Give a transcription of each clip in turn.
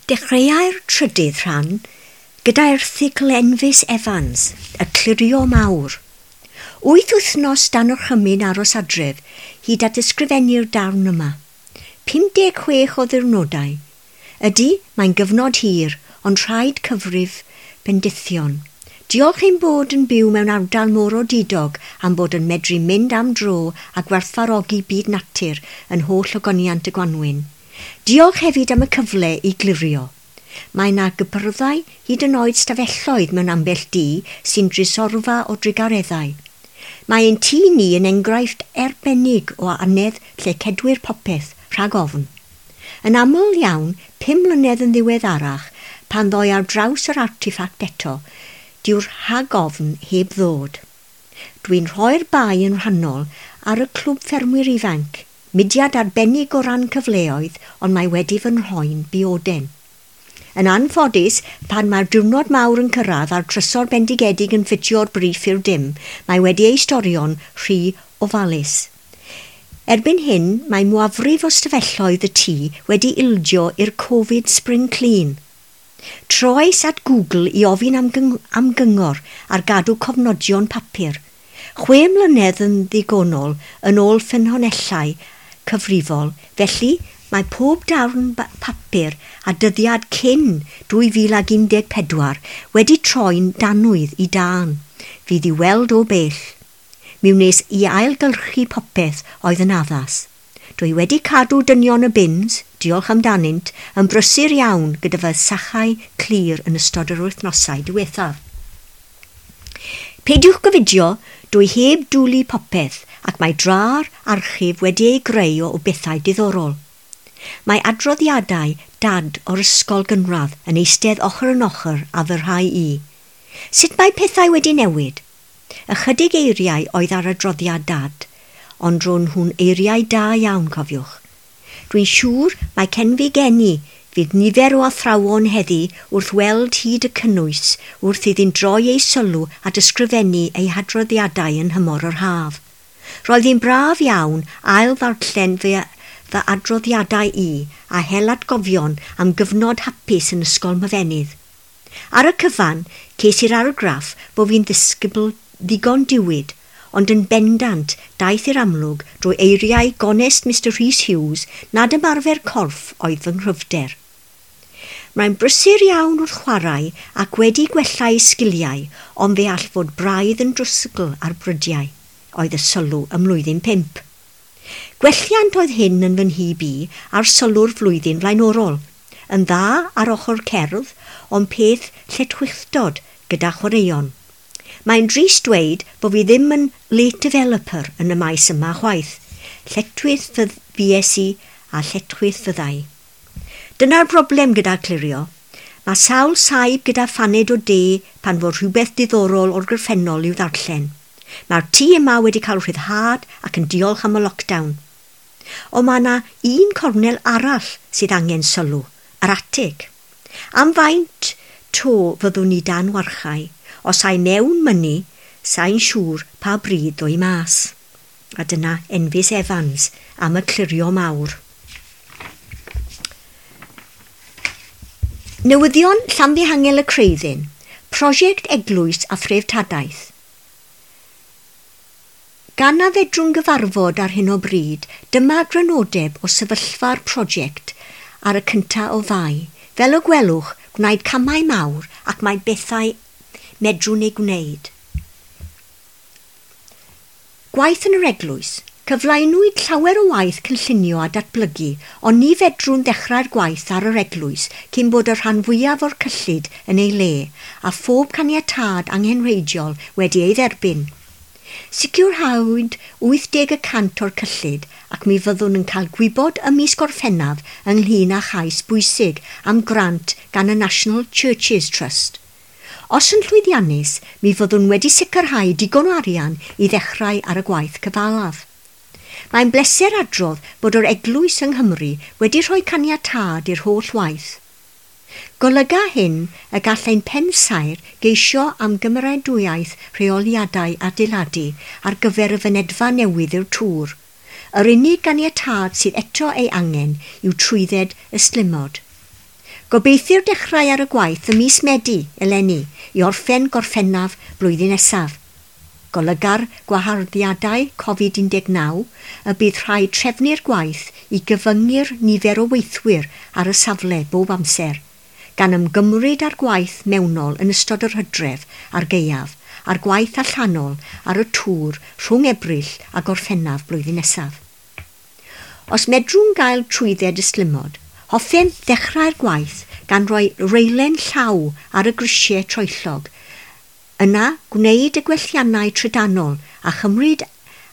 Dechreuai'r trydydd rhan gyda erthygl Enfys Evans, Y Clirio Mawr. 8 wythnos dan orchymyn aros adref hyd at ysgrifennu'r darn yma. 56 o ddiwrnodau. Ydy, mae'n gyfnod hir, ond rhaid cyfrif bendithion. Diolch ein bod yn byw mewn ardal mor odidog am bod yn medru mynd am dro a gwerthfawrogi byd natur yn holl ogoniant y gwanwyn. Diolch hefyd am y cyfle i glirio. Mae 'na gypyrddau hyd yn oed stafelloedd mewn ambell dŷ sy'n drysorfa o drugareddau. Mae ein tŷ ni yn enghraifft arbennig o annedd lle cedwir popeth rhag ofn. Yn aml iawn, 5 mlynedd yn ddiweddarach, pan ddoi ar draws yr artiffact eto, dyw'r rhag ofn heb ddod. Dwi'n rhoi'r bai yn rhannol ar y clwb ffermwyr ifanc, mudiad arbennig o ran cyfleoedd, ond mae wedi fy nrhoi'n bioden. Yn anffodus, pan mae'r diwrnod mawr yn cyrraedd a'r trysor bendigedig yn ffitio'r briff i'r dim, mae wedi ei storio'n rhy ofalus. Erbyn hyn, mae mwyafrif o stafelloedd y tŷ wedi ildio i'r Covid Spring Clean. Troais at Google i ofyn am, am gyngor ar gadw cofnodion papur. 6 mlynedd yn ddigonol yn ôl ffynhonellau cyfrifol, felly mae pob darn papur a dyddiad cyn 2014 wedi troi'n danwydd i dân, fydd i weld o bell. Mi wnes i ailgylchu popeth oedd yn addas. Dwi wedi cadw dynion y bins, diolch amdanynt, yn brysur iawn gyda fy sachau clir yn ystod yr wythnosau diwethaf. Peidiwch gofidio, dwi heb dwlu popeth ac mae dra'r archif wedi ei greu o bethau diddorol. Mae adroddiadau dad o'r ysgol gynradd yn eistedd ochr yn ochr â fy rhai i. Sut mae pethau wedi newid? Ychydig eiriau oedd ar adroddiad dad, ond ro'n nhw'n eiriau da iawn, cofiwch. Dwi'n siŵr mae cenfigeni fydd nifer o athrawon heddi wrth weld hyd y cynnwys wrth iddyn droi eu sylw a ysgrifennu eu hadroddiadau yn nhymor yr haf. Roedd hi'n braf iawn ail ddarllen fy adroddiadau i a hel atgofion am gyfnod hapus yn ysgol Myfenydd. Ar y cyfan, ces i'r argraff bod fi'n ddisgybl ddigon diwyd, ond yn bendant daeth i'r amlwg drwy eiriau gonest Mr Rhys Hughes nad ymarfer corff oedd fy nghryfder. Mae'n brysur iawn wrth chwarae ac wedi gwella ei sgiliau, ond fe all fod braidd yn drwsgl ar brydiau, oedd y sylw ym mlwyddyn 5. Gwelliant oedd hyn yn fy nhyb i ar sylw'r flwyddyn flaenorol, yn dda ar ochr cerdd, ond peth lletchwithdod gyda chwaraeon. Mae'n drist dweud bod fi ddim yn late developer yn y maes yma chwaith. Lletchwith fues i a lletchwith fyddai. Dyna'r broblem gyda clirio. Mae sawl saib gyda phaned o de pan fod rhywbeth diddorol o'r gorffennol i'w ddarllen. Mae'r tŷ yma wedi cael rhyddhad ac yn diolch am y lockdown. Ond mae yna un cornel arall sydd angen sylw, yr atig. Am faint to fyddwn ni dan warchau, os ai mewn mynnu, sa'n siŵr pa bryd ddoi mas. A dyna Enfys Evans am y clirio mawr. Newyddion Llanfihangel y Creuddyn, prosiect eglwys a threftadaeth. Gan na fedrwn gyfarfod ar hyn o bryd, dyma grynodeb o sefyllfa'r prosiect ar y cyntaf o Fai. Fel y gwelwch, gwnaed camau mawr ac mae bethau medrwn ei gwneud. Gwaith yn yr eglwys. Cyflaenwyd llawer o waith cynllunio a datblygu, ond ni fedrwn ddechrau'r gwaith ar yr eglwys cyn bod y rhan fwyaf o'r cyllid yn ei le, a phob caniatâd angenrheidiol wedi ei dderbyn. Sicrhawyd 80% o'r cyllid ac mi fyddwn yn cael gwybod ym mis Gorffennaf ynglŷn â chais bwysig am grant gan y National Churches Trust. Os yn llwyddiannus, mi fyddwn wedi sicrhau digon o arian i ddechrau ar y gwaith cyfalaf. Mae'n bleser adrodd bod yr eglwys yng Nghymru wedi rhoi caniatâd i'r holl waith. Golyga hyn y gall ein pensaer geisio am gymeradwyaeth rheoliadau adeiladu ar gyfer y fynedfa newydd i'r tŵr. Yr unig ganiatâd sydd eto ei angen yw trwydded ystlumod. Gobeithio'r dechrau ar y gwaith ym mis Medi eleni i orffen Gorffennaf blwyddyn nesaf. Golyga'r gwaharddiadau Covid-19 y bydd rhaid trefnu'r gwaith i gyfyngu'r nifer o weithwyr ar y safle bob amser, gan ymgymryd â'r gwaith mewnol yn ystod yr hydref a'r gaeaf a'r gwaith allanol ar y tŵr rhwng Ebrill a Gorffennaf blwyddyn nesaf. Os medrwn gael trwydded ystlumod, hoffem ddechrau'r gwaith gan roi reilen llaw ar y grisiau troellog. Yna gwneud y gwelliannau trydanol a chymryd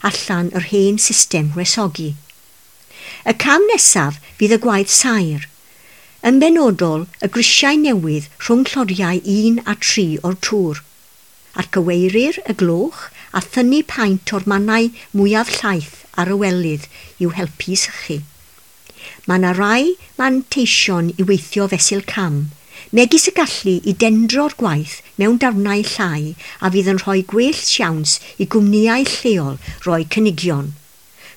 allan yr hen system wresogi. Y cam nesaf fydd y gwaith saer. Yn benodol, y grisiau newydd rhwng lloriau 1 a 3 o'r tŵr. Atgyweirir y gloch a thynnu paent o'r mannau mwyaf llaith ar y welydd i'w helpu i sychu. Mae yna rai manteision i weithio fesul cam, megis y gallu i dendro'r gwaith mewn darnau llai a fydd yn rhoi gwell siawns i gwmnïau lleol roi cynigion.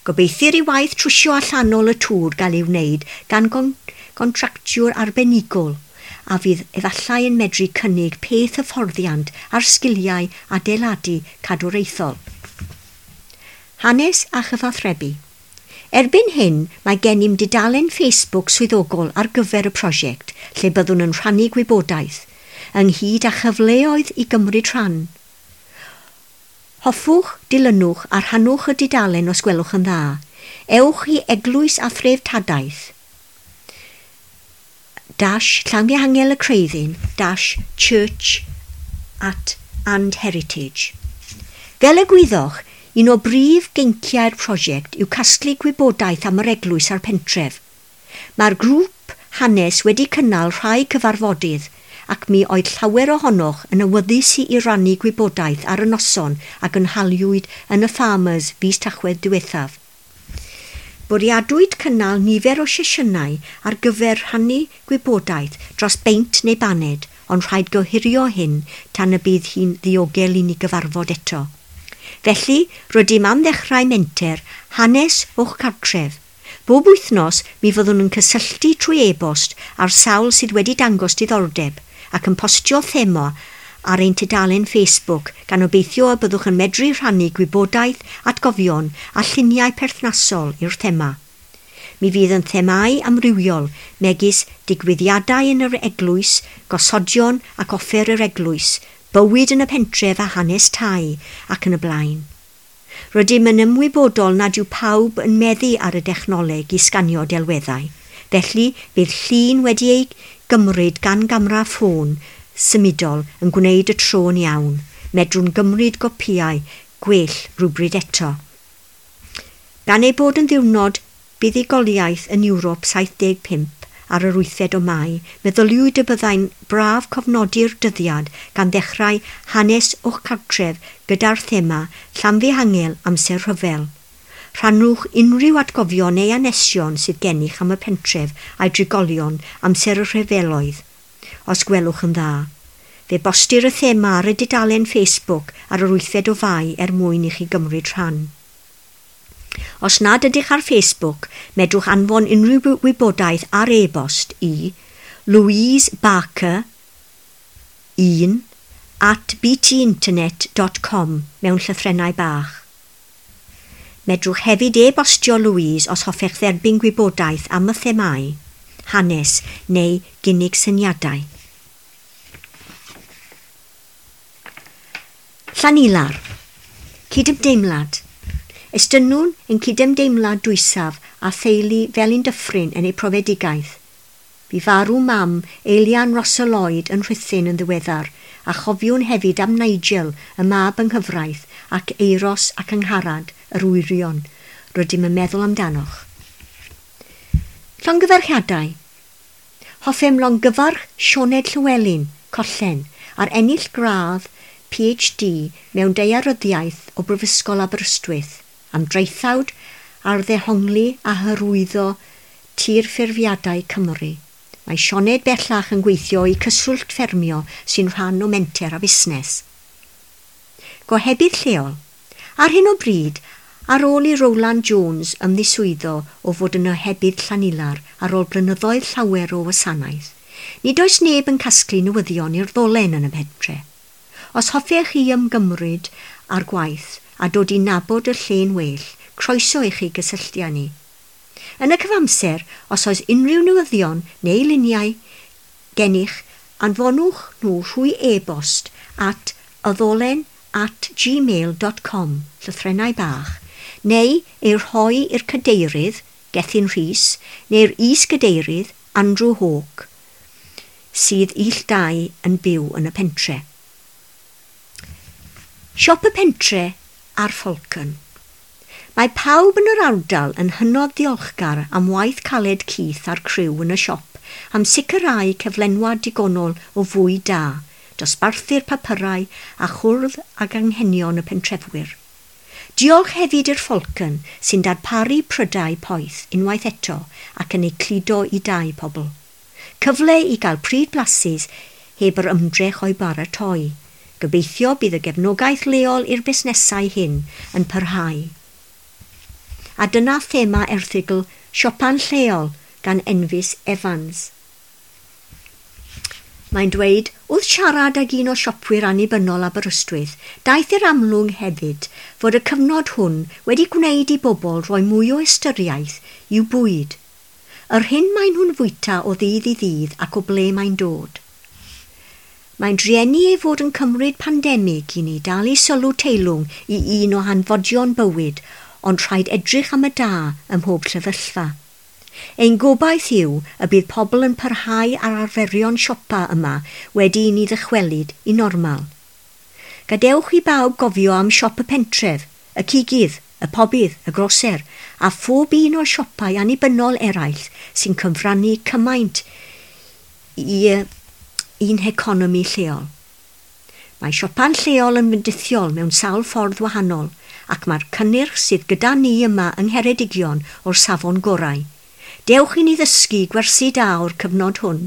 Gobeithir i waith trwsio allanol y tŵr gael ei wneud gan gontractiwr arbenigol a fydd efallai yn medru cynnig peth hyfforddiant ar sgiliau adeiladu cadwraethol. Hanes a chyfathrebu. Erbyn hyn, mae gennym dudalen Facebook swyddogol ar gyfer y prosiect, lle byddwn yn rhannu gwybodaeth, ynghyd â chyfleoedd i gymryd rhan. Hoffwch, dilynwch a rhannwch y dudalen os gwelwch yn dda. Ewch i Eglwys a Threftadaeth dash Llanfihangel y Creuddyn dash Church at and Heritage. Fel y gwyddoch, un o brif geinciau'r prosiect yw casglu gwybodaeth am yr eglwys a'r pentref. Mae'r grŵp hanes wedi cynnal rhai cyfarfodydd ac mi oedd llawer ohonoch yn awyddus i rannu gwybodaeth ar y noson a gynhaliwyd yn y Farmers fis Tachwedd diwethaf. Bwriadwyd cynnal nifer o sesiynau ar gyfer rhannu gwybodaeth dros beint neu baned, ond rhaid gohirio hyn tan y bydd hi'n ddiogel i ni gyfarfod eto. Felly, rydym am ddechrau menter hanes o'ch cartref. Bob wythnos, mi fyddwn yn cysylltu trwy e-bost ar sawl sydd wedi dangos diddordeb ac yn postio thema ar ein tudalen Facebook gan obeithio y byddwch yn medru rhannu gwybodaeth, atgofion a lluniau perthnasol i'r thema. Mi fydd yn themâu amrywiol megis digwyddiadau yn yr eglwys, gosodion ac offer yr eglwys, bywyd yn y pentref a hanes tai ac yn y blaen. Rydym yn ymwybodol nad yw pawb yn meddu ar y dechnoleg i sganio delweddau. Felly, bydd llun wedi ei gymryd gan gamra ffôn symudol yn gwneud y tro'n iawn. Medrwn gymryd gopïau gwell rhywbryd eto. Gan ei bod yn ddiwrnod buddugoliaeth yn Ewrop 75 ar yr 8 o Mai, meddyliwyd y byddai'n braf cofnodi'r dyddiad gan ddechrau hanes o'ch cartref gyda'r thema Llanfihangel amser rhyfel. Rhannwch unrhyw atgofion neu anesion sydd gennych am y pentref a'i drigolion amser y rhyfeloedd, os gwelwch yn dda. Fe bostir y thema ar y dudalen Facebook ar yr 8 o Fai er mwyn i chi gymryd rhan. Os nad ydych ar Facebook, medrwch anfon unrhyw wybodaeth ar e-bost i louisebarker1@btinternet.com mewn llythrennau bach. Medrwch hefyd e-bostio Louise os hoffech dderbyn gwybodaeth am y themâu, hanes neu gynnig syniadau. Llanilar. Cydymdeimlad. Estynnwn ein cydymdeimlad dwysaf a theulu Felin Dyffryn yn ei profedigaeth. Bu farw mam Eilian Russell Lloyd yn Rhuthun yn ddiweddar, a chofiwn hefyd am Nigel, y mab yng nghyfraith, ac Eiros ac Angharad, yr wyrion. Rydym yn meddwl amdanoch. Llongyfarchiadau. Hoffem longyfarch Sioned Llywelyn, Collen, ar ennill gradd PhD mewn daearyddiaeth o Brifysgol Aberystwyth, am draethawd ar ddehongli a hyrwyddo tirffurfiadau Cymru. Mae Sioned bellach yn gweithio i Cyswllt Ffermio sy'n rhan o menter a busnes. Gohebydd lleol. Ar hyn o bryd, ar ôl i Roland Jones ymddiswyddo o fod yn ohebydd Llanilar ar ôl blynyddoedd llawer o wasanaeth, Nid oes neb yn casglu newyddion i'r ddolen yn y pentre. Os hoffech chi ymgymryd â'r gwaith a dod i nabod y lle'n well, croeso i chi gysylltu â ni. Yn y cyfamser, os oes unrhyw newyddion neu luniau gennych, anfonwch nhw rhwy e-bost at yddolen@gmail.com, llythrennau bach, neu ei rhoi i'r cadeirydd, Gethin Rhys, neu'r is-gadeirydd, Andrew Hawke, sydd ill dau yn byw yn y pentre. Siop y pentre a'r Falcon. Mae pawb yn yr ardal yn hynod ddiolchgar am waith caled Keith a'r criw yn y siop am sicrhau cyflenwad digonol o fwyd da, dosbarthu'r papurau a chwrdd ag anghenion y pentrefwyr. Diolch hefyd i'r Falcon sy'n darparu prydau poeth unwaith eto ac yn eu cludo i dai pobl. Cyfle i gael pryd blasus heb yr ymdrech o'i baratoi. Gobeithio bydd y gefnogaeth leol i'r busnesau hyn yn parhau. A dyna thema erthygl Siopa'n Lleol gan Enfys Evans. Mae'n dweud, wrth siarad ag un o siopwyr annibynnol Aberystwyth, daeth i'r amlwg hefyd fod y cyfnod hwn wedi gwneud i bobl roi mwy o ystyriaeth i'w bwyd. Yr hyn maen nhw'n fwyta o ddydd i ddydd ac o ble mae'n dod. Mae'n drueni ei fod yn cymryd pandemig i ni dalu sylw teilwng i un o hanfodion bywyd, ond rhaid edrych am y da ym mhob sefyllfa. Ein gobaith yw y bydd pobl yn parhau ar arferion siopa yma wedi i ni ddychwelyd i normal. Gadewch i bawb gofio am siop y pentref, y cigydd, y pobydd, y groser, a phob un o'r siopau annibynnol eraill sy'n cyfrannu cymaint i'n heconomi lleol. Mae siopa'n lleol yn fendithiol mewn sawl ffordd wahanol, ac mae'r cynnyrch sydd gyda ni yma yng Ngheredigion o'r safon gorau. Dewch i ni ddysgu gwersi da o'r cyfnod hwn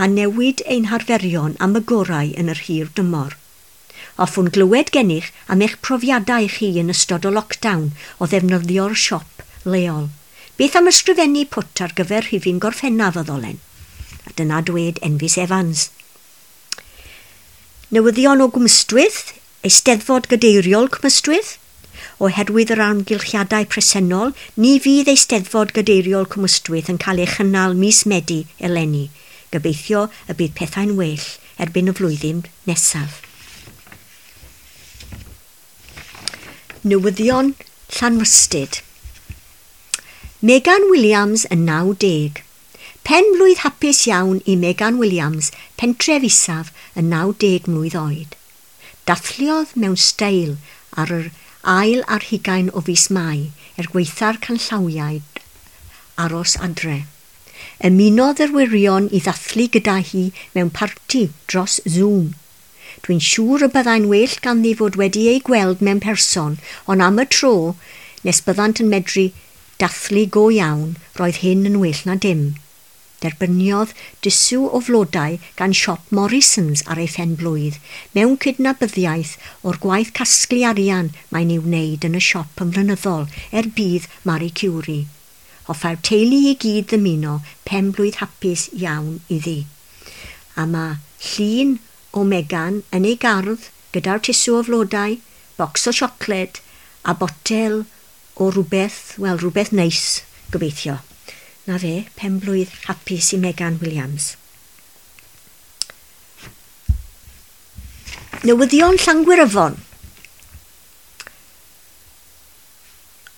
a newid ein harferion am y gorau yn yr hir dymor. Hoffwn glywed gennych am eich profiadau chi yn ystod y lockdown o ddefnyddio'r siop leol. Beth am ysgrifennu pwt ar gyfer rhifyn Gorffennaf y ddolen? A dyna dweud Enfys Evans. Newyddion o Gwmystwyth, Eisteddfod Gadeiriol Cwmystwyth. Oherwydd yr amgylchiadau presennol, ni fydd Eisteddfod Gadeiriol Cwmystwyth yn cael ei chynnal mis Medi eleni. Gobeithio y bydd pethau'n well erbyn y flwyddyn nesaf. Newyddion Llanrhystud. Megan Williams yn 90. Pen blwydd hapus iawn i Megan Williams, pentref isaf, yn 90 mlwydd oed. Dathliodd mewn steil ar yr ail ar hugain o fis Mai er gwaetha'r canllawiau aros adre. Ymunodd yr wyrion i ddathlu gyda hi mewn parti dros Zoom. Dwi'n siŵr y byddai'n well ganddi fod wedi ei gweld mewn person, ond am y tro, nes byddant yn medru dathlu go iawn, roedd hyn yn well na dim. Derbyniodd dusw o flodau gan siop Morrisons ar ei phen-blwydd, mewn cydnabyddiaeth o'r gwaith casglu arian mae'n ei wneud yn y siop yn flynyddol er budd Marie Curie. Hoffai'r teulu i gyd ddymuno pen-blwydd hapus iawn iddi. A mae llun o Megan yn ei gardd gyda'r tusw o flodau, bocs o siocled a botel o rhywbeth, wel rhywbeth neis, gobeithio. Na fe, pen-blwydd hapus i Megan Williams. Newyddion Llangwyryfon.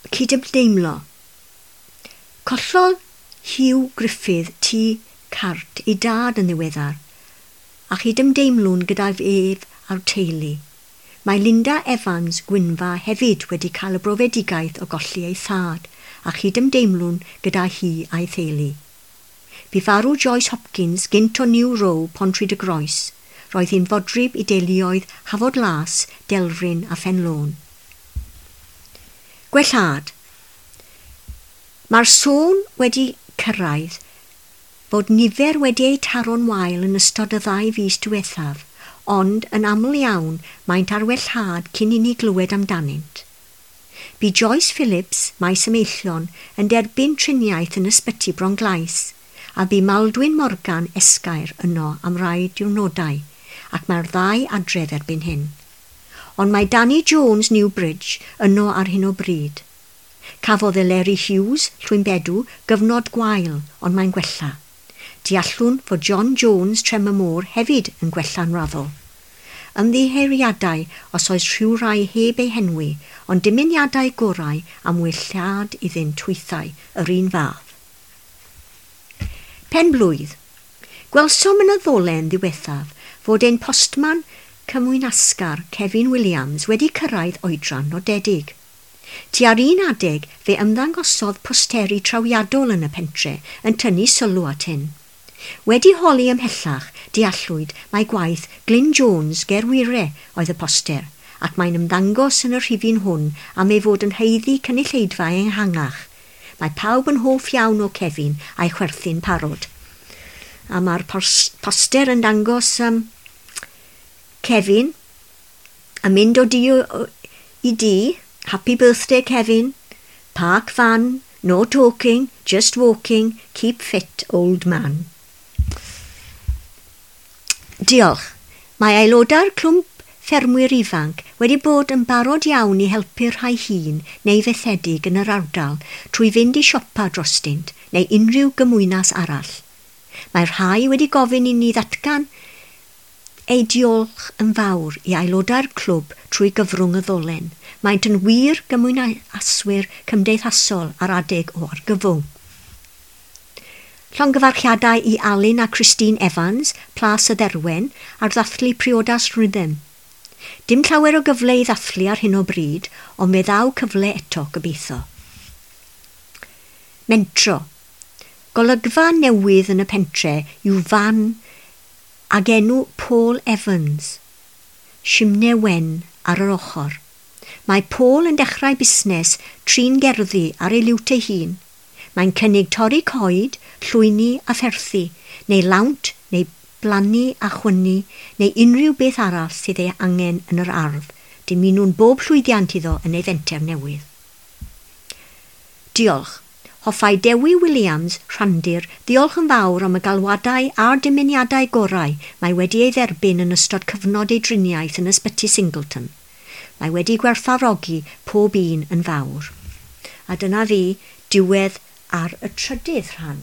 Cydymdeimlo. Collodd Hugh Griffith T. Cart ei dad yn ddiweddar, a chydymdeimlwn gydag ef a'r teulu. Mae Linda Evans Gwynfa hefyd wedi cael y brofedigaeth o golli ei thad, a chydymdeimlwn gyda hi a'i theulu. Bu farw Joyce Hopkins gynt o New Row, Pontrhyd-y-Groes. Roedd hi'n fodryb i deuluoedd Hafod Las, Delfryn a Phenlôn. Gwellhad. Mae'r sôn wedi cyrraedd fod nifer wedi eu taro'n wael yn ystod y ddau fis diwethaf, ond yn aml iawn maent ar wellhad cyn i ni glywed amdanynt. Bu Joyce Phillips, Maes Ymeillion, yn derbyn triniaeth yn ysbyty Bronglais, a bu Maldwyn Morgan Esgair yno am rai diwrnodau, ac mae'r ddau adref erbyn hyn. Ond mae Danny Jones Newbridge yno ar hyn o bryd. Cafodd Eleri Hughes, Llwynbedw, gyfnod gwael, ond mae'n gwella. Deallwn fod John Jones Trem y Môr hefyd yn gwella'n raddol. Ymddiheuriadau os oes rhywrai heb ei henwi, ond dymuniadau gorau am wellhad iddynt hwythau yr un fath. Penblwydd. Gwelsom yn y ddolen ddiwethaf fod ein postman cymwynasgar Kevin Williams wedi cyrraedd oedran nodedig. Tua'r un adeg fe ymddangosodd posteri trawiadol yn y pentre yn tynnu sylw at hyn. Wedi holi ymhellach, deallwyd mai gwaith Glyn Jones ger Wyre oedd y poster, ac mae'n ymddangos yn y rhifyn hwn am ei fod yn haeddu cynulleidfa ehangach. Mae pawb yn hoff iawn o Kevin a'i chwerthin parod. A mae'r poster yn dangos Kevin yn mynd o dŷ i dŷ. "Happy birthday, Kevin. Park van, no talking, just walking, keep fit, old man." Diolch. Mae aelodau'r Clwb Ffermwyr Ifanc wedi bod yn barod iawn i helpu'r rhai hŷn neu fethedig yn yr ardal trwy fynd i siopa drostynt neu unrhyw gymwynas arall. Mae rhai wedi gofyn i ni ddatgan eu diolch yn fawr i aelodau'r clwb trwy gyfrwng y ddolen. Maent yn wir gymwynaswyr cymdeithasol ar adeg o argyfwng. Llongyfarchiadau i Alun a Christine Evans, Plas y Dderwen, ar ddathlu priodas Rhythm. Dim llawer o gyfle i ddathlu ar hyn o bryd, ond fe ddaw cyfle eto gobeithio. Mentro. Golygfa newydd yn y pentre yw fan ag enw Paul Evans, Simne Wen ar yr ochr. Mae Paul yn dechrau busnes trin gerddi ar ei liwt ei hun. Mae'n cynnig torri coed, llwyni a pherthi, neu lawnt, neu blannu a chwynnu, neu unrhyw beth arall sydd ei angen yn yr ardd. Dymunwn bob llwyddiant iddo yn ei fenter newydd. Diolch. Hoffai Dewi Williams, Rhandir, ddiolch yn fawr am y galwadau a'r dymuniadau gorau mae wedi ei dderbyn yn ystod cyfnod ei driniaeth yn ysbyty Singleton. Mae wedi gwerthfawrogi pob un yn fawr. A dyna fi, diwedd ar y trydydd rhan.